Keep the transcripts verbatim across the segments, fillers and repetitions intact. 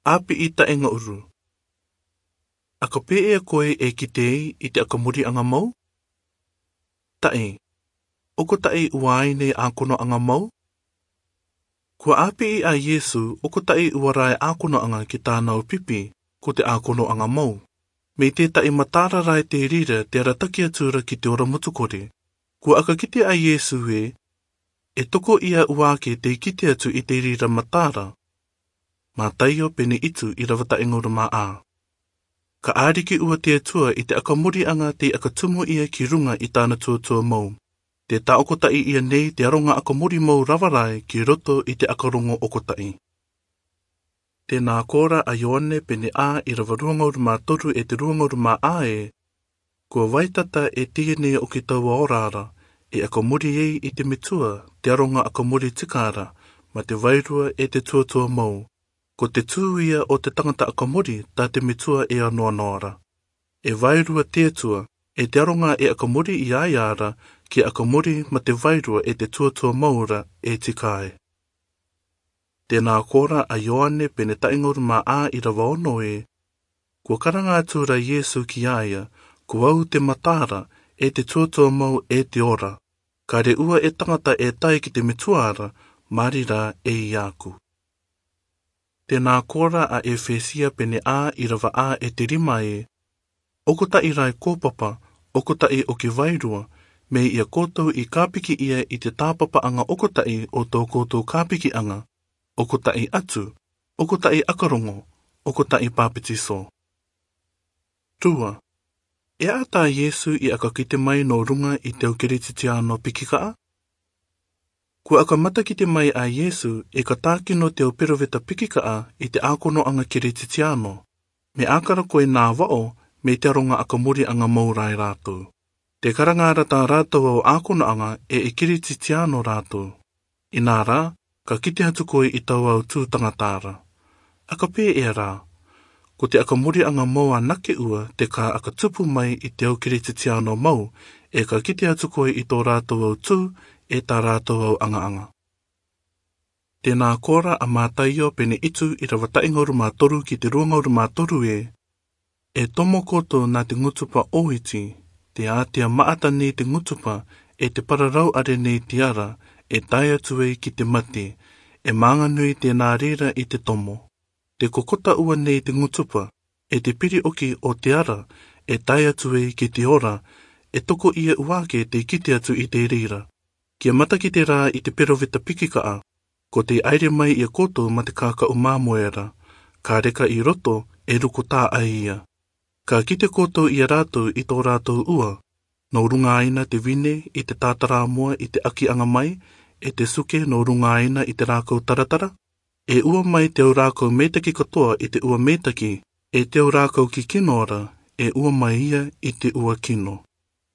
ʻĀpiʻi taʻe ngaʻuru. ʻAka pē ʻe koe e kite i te ʻakamoriʻanga mau? Taʻe, ʻokotaʻi ʻua ai nei ʻākonoʻanga mau? Kua ʻāpiʻi ʻa Iesu ʻokotaʻi ʻua ra e ʻākonoʻanga ki tāna ʻo pipi, ko te ʻākonoʻanga mau. Mei te taʻe mataara ra e te reira te arataki atu ra ki te ora motu kore. Kua ʻaka kite ʻa Iesu ē, e toko ia ʻuake tei kite atu i te reira mataara. Mataio pene itu ʻirava taʻe ngaʻuru mā ʻā. Ka ʻārikiʻua te Atua i te ʻakamoriʻanga tei ʻakatumu ia ki runga i tāna tuatua mau. Te tāʻokotaʻi ia nei te aronga ʻakamori mau rava ra ē ki roto i te ʻakarongo ʻokotaʻi. Tēnā kōrā ʻa Ioane pene ʻā ʻirava rua ngaʻuru mā toru e te rua ngaʻuru mā ʻā ē, kua vaitata e teie nei ʻo kitaua ora ra, e ʻakamori ei i te metua te aronga ʻakamori tika ra, mā te vairua e te tuatua mau. Ko te tū ia ʻo te tangata ʻakamori tā te metua e anoanoa ra. E vairua te Atua, e te aronga e ʻakamori ia ia ra, kia ʻakamori mā te vairua e te tuatua mau ra e tika ai. Tēnā kōrā ʻa Ioane pene taʻe ngaʻuru mā ʻā ʻirava ono ē, kua karanga atu ra Iesu ki a ia, ko au te mataara, e te tuatua mau e te ora. Ka reʻua e tangata e tae ki te metua ra, mā reira ē ia aku. Tēnā kōrā ʻa Efesia pene ʻā ʻirava ʻā e te rima ē, ʻokotaʻi ra e kōpapa, ʻokotaʻi ʻoki vairua, mei ia koutou i kāpiki ia i te tāpapaʻanga ʻokotaʻi ʻo tō koutou kāpikiʻanga, ʻokotaʻi atu, ʻokotaʻi ʻakarongo, ʻokotaʻi pāpetiso. Rua, e ata Iesu i ʻaka kite mai nō runga i te au Kerisitiano pikikaʻa? Kua ʻaka matakite mai ʻa Iesu e ka tākino te au peroveta pikikaʻa i te ʻākonoʻanga Kerisitiano, me ʻakara koe nā vaʻo mei te aronga ʻakamoriʻanga mau ra e rātou. Te karanga ra tā rātou au ʻākonoʻanga e e Kerisitiano rātou. Inā rā, ka kite atu koe i taua au tū tangata ra. ʻAka pē ʻe rā, ko te ʻakamoriʻanga mau anake ua te ka ʻaka tupu mai i te au Kerisitiano mau, e ka kite atu koe i tō rātou au tū, e tā rātou au aŋaŋa. Tēnā kōrā ʻa Mataio pene itu ʻirava taʻe ngauru mā toru ki te rua ngauru mā toru ē, e tomo koutou nā te ngutupa ʻoiti, te ātea maʻata nei te ngutupa, e te pararau are nei te ara, e tae atu ei ki te mate, e mānganui tēnā reira i te tomo. Te kokota ua nei te ngutupa, e te piri ʻoki o te ara, e tae atu ei ki te ora, e toko ia ua ake tei kite atu i te reira. Kia matakite rā i te peroveta pikikaʻa, ko tei ʻaere mai ia koutou mā te kākaʻu māmoe ra, ka reka i roto, e ruko tā ʻai ia. Ka kite koutou ia rātou i tō rātou ua, nō ruŋa aina te vine i te tātarāmoa i te ʻakiʻanga mai, e te suke nō ruŋa aina i te rākau taratara, e ua mai te au rākau meitaki katoa i te ua meitaki, e te au rākau kikino ra, e ua mai ia i te ua kino.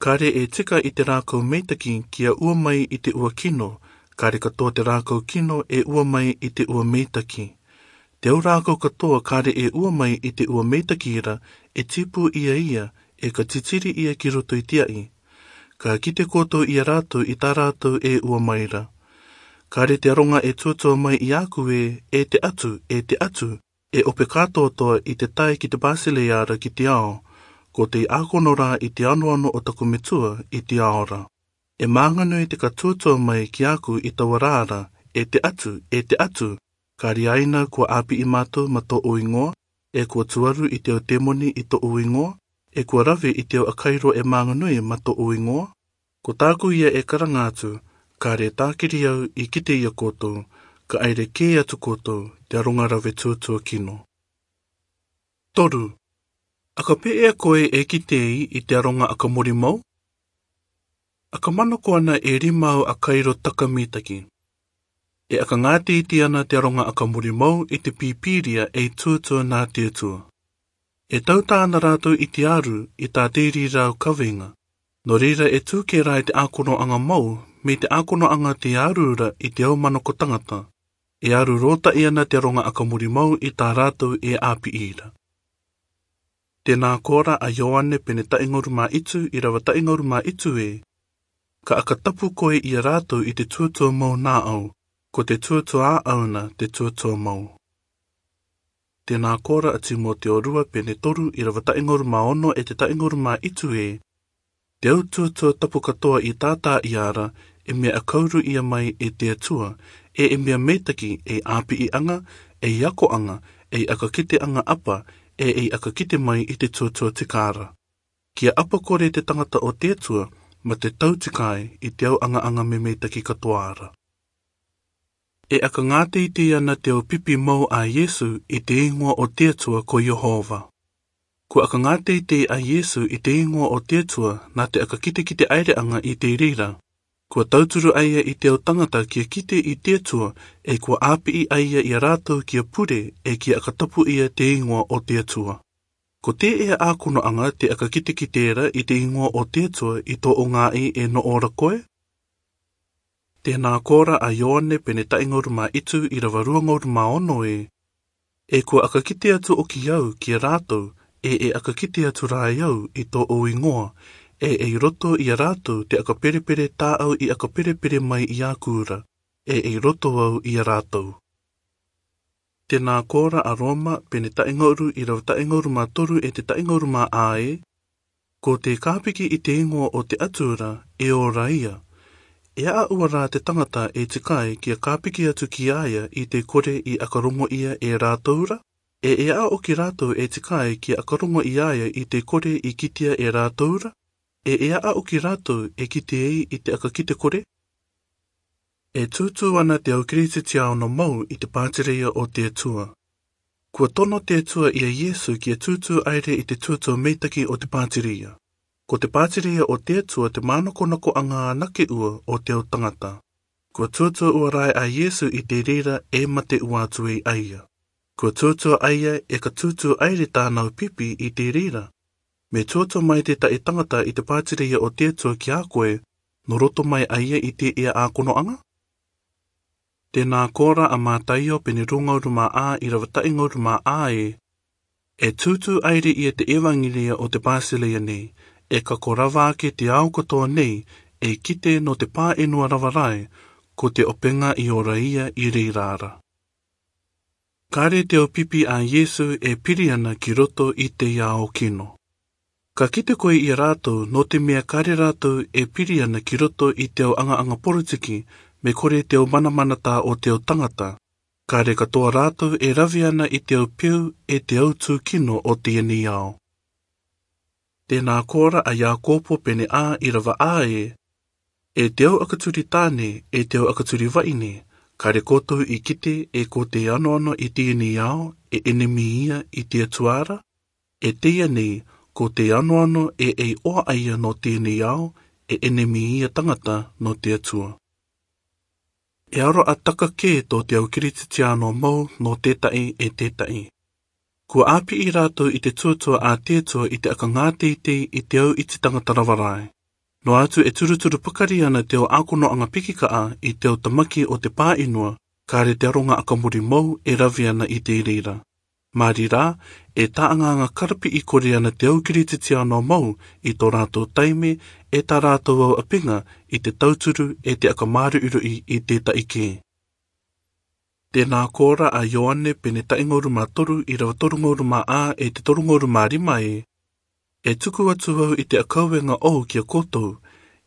Kare e tika i te rākau meitaki kia ua mai i te ua kino, kare katoa te rākau kino e ua mai i te ua meitaki. Te au rākau katoa kare e ua mai i te ua meitaki ra, e tipu ia ia, e ka titiri ia ki roto i te aʻi. Ka kite koutou ia rātou i tā rātou e ua mai ra. Kare te aronga e tuatua mai ia aku ē, e te atu, e te atu, e ope kātoatoa i te tae ki te Bāsileia ra ki te ao, ko tei ʻākono rā i te anoano o taku metua i te ao ra. E mānganui te ka tuatua mai ki aku i taua rā ra, e te atu, e te atu, kare aina kua ʻāpiʻi mātou mā tōʻu iŋoa, e kua tuaru i te au tēmoni i tōʻu iŋoa, e kua rave i te au ʻakairo e mānganui mā tōʻu iŋoa. Ko tāku ia e karanga atu, kare tākiri au i kite ia koutou, ka ʻaere kē atu koutou, te aronga rave tuatua kino. Toru, ʻaka pē ʻe koe e kite i te aronga ʻakamori mau? ʻAka manako ana e rima au ʻakairo taka mitaki. E ʻaka ngāteitei ana te aronga ʻakamori mau i te Pīpīria ei tuatua nā te Atua. E tauta ana rātou i te aru i tā te reira au kawenga. Nō reira e tū kē rā i te ʻākonoʻanga mau, mei te ʻākonoʻanga te aru ra i te au manako tangata. E aru rōtaʻi ana te aronga ʻakamori mau i tā rātou e ʻāpiʻi ra. Tēnā kōrā ʻa Ioane pene taʻe ngauru mā itu ʻirava taʻe ngauru mā itu ē, ka ʻaka tapu koe ia rātou i te tuatua mau nā ʻau, ko te tuatua ʻāʻau na te tuatua mau. Tē nā kōrā a Tīmoteo rua pene toru, irava taʻengaru mā ono e te taʻengaru mā itu ē: Te au tuatua tapu katoa i tātāʻia ra, e mea ʻakauru ia mai e te Atua, ʻe e mea meitaki, ei ʻāpiʻiʻaga, ei akoʻaga, ei ʻakakiteʻaga ʻapa, ʻe ei ʻakakite mai i te tuatua tika ra. Kia ʻapa kore te tagata o te Atua, mā te tau tika ai i te au ʻagaʻaga memeitaki katoa ra. E ʻakagāteitei ana te au pipi mau a Iesu i te igoa o te Atua ko Iehova. Kua ʻakagāteitei a Iesu i te igoa o te Atua nā te ʻakakiteʻaereʻaga i te reira. Kua tauturu a ia i te au tagata kia kite i te Atua, ʻe kua ʻāpiʻi a ia ia rātou kia pure, ʻe kia ʻakatapu ia te igoa o te Atua. Ko tēʻea ākonoʻaga te ʻakakiteʻa ra i te igoa o te Atua i tō ʻoutou ʻe noʻo ra koe? Tē nā kōrā a Ioane pene taʻengaru mā itu, irava ruangaru mā ono ē: E kua ʻakakite atu ʻoki au ki a rātou, ʻe e ʻakakite atu rā au i tō ʻou igoa, ʻe ei roto i a rātou te ʻakaperepere tā au i ʻakaperepere mai i ʻaku ra, ʻe ei roto au i a rātou. Tē nā kōrā a Roma pene taʻengaru, irava taʻengaru mā toru e te taʻengaru mā ā ē: Ko te kāpiki i te igoa o te Atua ra, e ora ia. E aʻa ua rā te tagata e tika ai kia kāpiki atu ki a ia i te kore i ʻakarongo ia e rātou ra? ʻE e aʻa ʻoki rātou e tika ai kia ʻakarongo i a ia i te kore i kitia e rātou ra? ʻE e aʻa ʻoki rātou e kite ai i te ʻakakite kore? E tūtū ana te au Kirisitiano mau i te pātireia o te Atua. Kua tono te Atua i a Iesu kia tūtū ʻaere i te tuatua meitaki o te pātireia. Ko te pātireia o te Atua te mānakonakoʻaga anake ua o te au tagata. Kua tūtū ua rae a Iesu i te reira, e mate ua atu ei a ia. Kua tūtū a ia, ʻe ka tūtū ʻaere tāna au pipi i te reira. Me tūtū mai tētahi tagata i te pātireia o te Atua ki a koe, nō roto mai a ia i tēʻea ākonoʻaga? Tē nā kōrā a Mataio pene ruangaru mā ā, irava taʻengaru mā ā ē: E tūtū ʻaere ia te ʻevanelia o te pātireia nei, ʻe ka korava ake te ao katoa nei, e kite nō te pāʻenua rava rae, ko te ʻopega i ora ia i reira ra. Kare te au pipi a Iesu e piri ana ki roto i te ao kino. Ka kite koe i a rātou, nō te mea kare rātou e piri ana ki roto i te au ʻagaʻaga poritiki, me kore te au manamanatā o te au tagata. Kare katoa rātou e rave ana i te au peu ʻe te au tū kino o teie nei ao. Tē nā kōrā a Iakopo pene ā, irava ā ē: E te au ʻakaturi tāne, e te au ʻakaturi vaʻine, kare koutou i kite, ʻe ko te anoano i teie nei ao, e ʻenemi ia i te Atua ra? E teie nei, ko te anoano ʻe ei ʻoaʻa ia nō teie nei ao, e ʻenemi ia tagata nō te Atua. E aroʻa taka kē tō te au Kirisitiano mau nō tētahi ʻe tētahi. Kua ʻāpiʻi rātou i te tuatua a te Atua i te ʻakagāteitei i te au iti tagata rava rae. Noa atu e turuturu pakari ana te au ākonoʻaga pikikaʻa i te au tamaki o te pāʻenua, kare te aroga ʻakamori mau e rave ana i te reira. Mā reira, e taʻanga-anga karapiʻi kore ana te au Kirisitiano mau i tō rātou taime, ʻe tā rātou au ʻapega i te tauturu ʻe te ʻakamāruʻiruʻi i tētahi kē. Tē nā kōrā a Ioane pene taʻengaru mā toru, irava torungaru mā ā ʻe te torungaru mā rima ē: E tuku atu au i te ʻakauenga ʻou ki a koutou,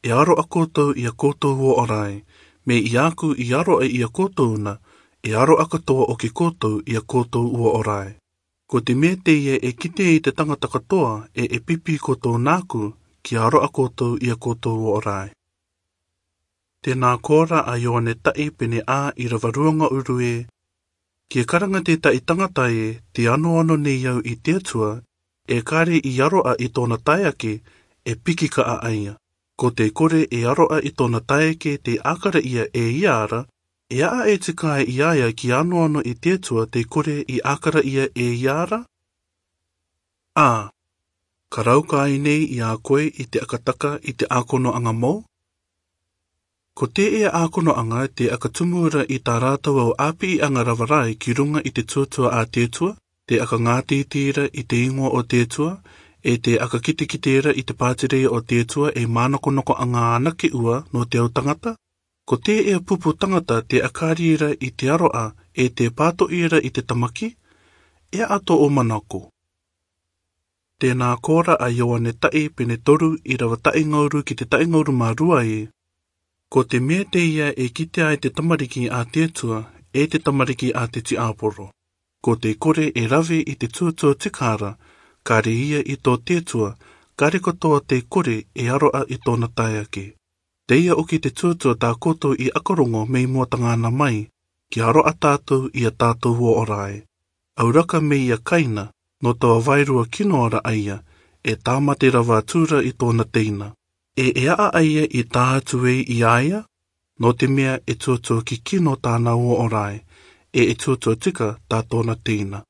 e aroʻa koutou i a koutou uō ʻo rae, me i ʻaku i aroʻa i a koutou na, e aroʻa katoa ʻoki koutou i a koutou uō ʻo rae. Ko te mea teie e kite i te tagata katoa ʻe e pipi koutou nāku, kia aroʻa koutou i a koutou uō ʻo rae. Tē nā kōrā a Ioane tahi pene ā, irava ruangaru ē: Kia karanga tētahi tagata ē, te anoano nei au i te Atua, e kare i aroʻa i tōna taeake, e pikikaʻa a ia. Ko te kore e aroʻa i tōna taeake tei ʻākaraʻia e ia ra, e aʻa e tika i a ia kia anoano i te Atua te kore i ʻākaraʻia e ia ra? ʻĀ, ka rauka ai nei i a koe i te ʻakataka i te ākonoʻaga mau? Ko tēʻea ākonoʻaga te ʻakatumu ra i tā rātou au ʻāpiʻiʻaga rava rae ki ruga i te tuatua a te Atua, te ʻakagāteitei ra i te igoa o te Atua, ʻe te ʻakakitekite ra i te pātireia o te Atua, e mānakonakoʻaga anake ua nō te au tagata? Ko tēʻea pupu tagata te ʻakari ra i te aroʻa, ʻe te pātoʻi ra i te tamaki? E ato o manako. Te nā kora a Ioane ta'i pene toru, irava ta'i ngauru ki te ta'i ngauru mā rua e: Ko te me'a teia e kitea ai te tamariki a te Atua, e te tamariki a te tiaporo. Ko te kore e rave i te tuatua tika ra, kare ia i tō te Atua, kare katoa te kore e aro'a i tōna tae ake. Teia oki te tuatua tā koutou i akarongo mei mua tangana mai, kia aro'a tātou i a tātou uo ora e. Auraka mei a Kaina, nō taua vairua kino ra a ia, e tāmate rava atura i tōna teina. E, e a'a a ia i tā atu ei i a ia, nō te me'a e tuatua kikino tāna uo ora e, e, e tuatua tika tā tōna teina.